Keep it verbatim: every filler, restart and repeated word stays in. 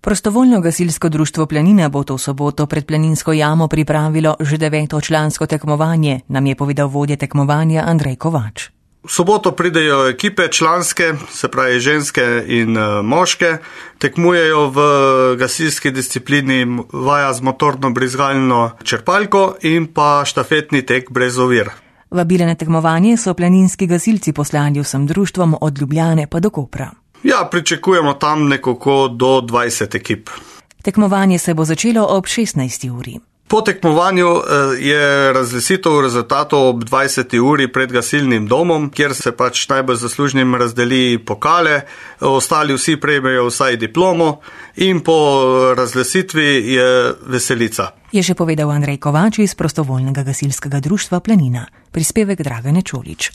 Prostovoljno gasilsko društvo Planina bo to soboto pred Planinsko jamo pripravilo že deveto člansko tekmovanje, nam je povedal vodja tekmovanja Andrej Kovač. V soboto pridejo ekipe članske, se pravi ženske in moške, tekmujejo v gasilski disciplini vaja z motorno brizgalno črpalko in pa štafetni tek brez ovir. Vabile na tekmovanje so planinski gasilci poslali vsem društvom od Ljubljane pa do Kopra. Ja, pričakujemo tam nekako do dvajset ekip. Tekmovanje se bo začelo ob šestnajsti uri. Po tekmovanju je razglasitev rezultatov ob dvajseti uri pred gasilnim domom, kjer se pač najbolj zaslužnim razdeli pokale, ostali vsi prejmejo vsaj diplomo in po razglasitvi je veselica. Je še povedal Andrej Kovač iz Prostovoljnega gasilskega društva Planina. Prispevek Dragane Čolič.